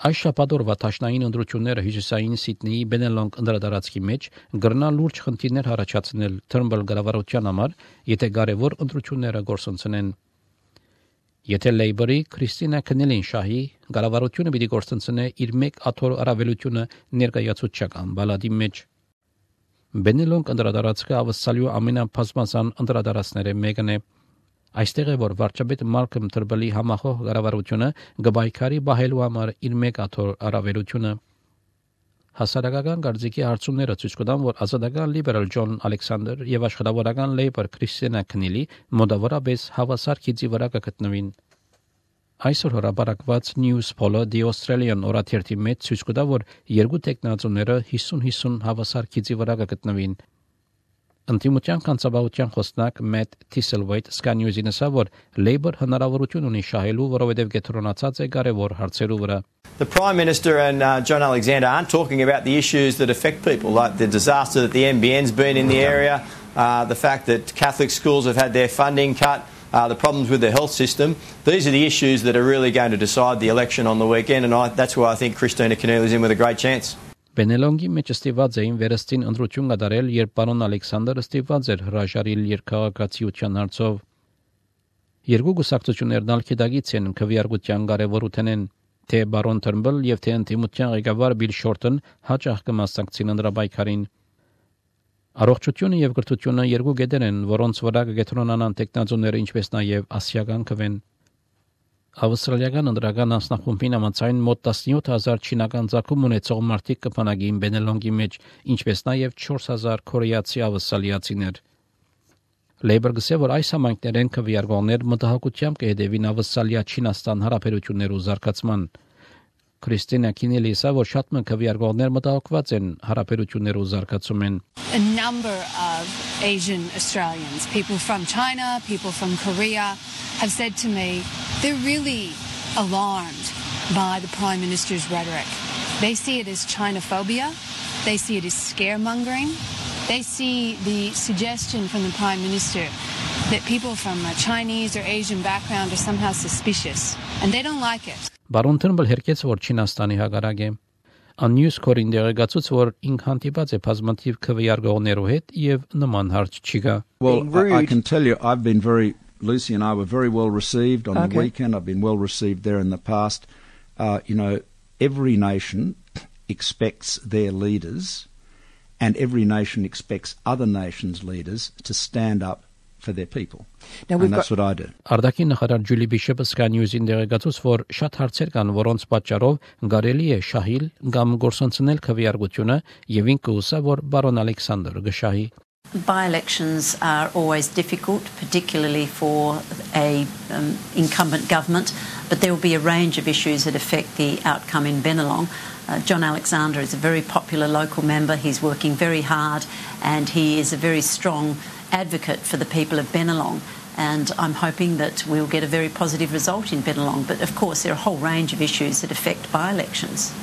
Այս շաբաթօրվա տաշնային ընտրությունները հյուսիսային Սիդնեի Բենելոնգ ընդրադարածքի մեջ գրնա լուրջ խնդիրներ առաջացնել Թըրնբլ կառավարության համար, եթե կարևոր ընտրությունները գործընծնեն։ Եթե Լեյբորի Քրիստինա Քնելին շահի, կառավարությունը պիտի գործընծնե իր մեկ աթոռ առավելությունը ներկայացուցչական բալադի մեջ։ Բենելոնգ ընդրադարածքը ավսալյու ամենաբազմազան ընդրադարածները մեկն է։ Այստեղ է, որ վարչապետ Մալքոմ Թըրնբլի համախոհ կառավարությունը գբայքարի բահելու համար իր մեկ աթոռ առավելությունը։ Հասարակական կարծիքի հարցումները ցույց կտան, որ ազատական լիբերալ Ջոն Ալեքսանդր եւ աշխատավորական Լեյբոր Քրիստինա Քնիլի մոտավորապես հավասար քիծի վրա կգտնվին։ Այսօր հրապարակված News Poll-ը The Australian օրաթերթի մեջ ցույց կտա, որ երկու տեխնացուները 50-50 հավասար քիծի վրա կգտնվին։ Ընտիմության կանցաբավության խոսնակ Մեթ Թիսելվեյթ Sky News-ին ասավ, որ Labour հնարավորություն ունի շահելու, որովհետև կենտրոնացած է կարևոր հարցերու վրա։ The Prime Minister and John Alexander aren't talking about the issues that affect people, like the disaster that the NBN's been in the area, the fact that Catholic schools have had their funding cut, the problems with the health system. These are the issues that are really going to decide the election on the weekend, and that's why I think Christina Keneally is in with a great chance. Բենելոնգի մեջ ստիված էին վերստին ընտրություն կատարել, երբ պարոն Ալեքսանդրը ստիված էր հրաժարիլ երկաղաքացիության հարցով։ Երկու գուսակցություններն ալքեդագից են քվեարկության կարևորութենեն, թե բարոն Թըրնբլ եւ թե ընտիմության ղեկավար Բիլ Շորտոն հաճախ կմասնակցին ընդրաբայքարին։ Առողջությունը եւ կրթությունը երկու գետեր են, որոնց վրա կգետրոնանան տեխնազոները, ինչպես նաեւ ասիական քվեն։ Ավստրալիական ընդրական անձնախումբին համաձայն մոտ 17000 չինական ցակում ունեցող մարդիկ կփանագին Բենելոնգի մեջ, ինչպես նաև 4000 կորեացի ավստրալիացիներ։ Labour գսե, որ այս համայնքներեն քվեարկողներ մտահոգությամբ կհետևին Ավստրալիա-Չինաստան հարաբերություններու զարգացման։ Քրիստինա Քինելի ասա, որ շատ մը քվեարկողներ մտահոգված են հարաբերություններու զարգացումեն։ A number of Asian Australians, people from China, people from Korea, have said to me they're really alarmed by the Prime Minister's rhetoric. They see it as Chinophobia, they see it as scaremongering, they see the suggestion from the Prime Minister that people from a Chinese or Asian background are somehow suspicious, and they don't like it. Բարոն Թըրնբլ հերկեց, որ Չինաստանի հակառակ է։ Անյուս կորին դեղեկացուց, որ ինք հանդիպած է բազմաթիվ քվեարկողներու հետ եւ նման հարց չի գա։ Well, I can tell you, I've been Lucy and I were very well received on the weekend. I've been well received there in the past. Every nation expects their leaders, and every nation expects other nations' leaders to stand up for their people. And that's what I do. Արտաքի նախարար Ջուլի Բիշոպը Sky News-ին դեղեկացուց, որ շատ հարցեր կան, որոնց պատճառով կարելի է շահիլ կամ գործընծնել քվեարկությունը, եւ ինքը ուսա, որ բարոն Ալեքսանդր գշահի։ By-elections are always difficult, particularly for a incumbent government, but there will be a range of issues that affect the outcome in Bennelong. John Alexander is a very popular local member. He's working very hard, and he is a very strong advocate for the people of Bennelong. And I'm hoping that we'll get a very positive result in Bennelong. But of course, there are a whole range of issues that affect by-elections.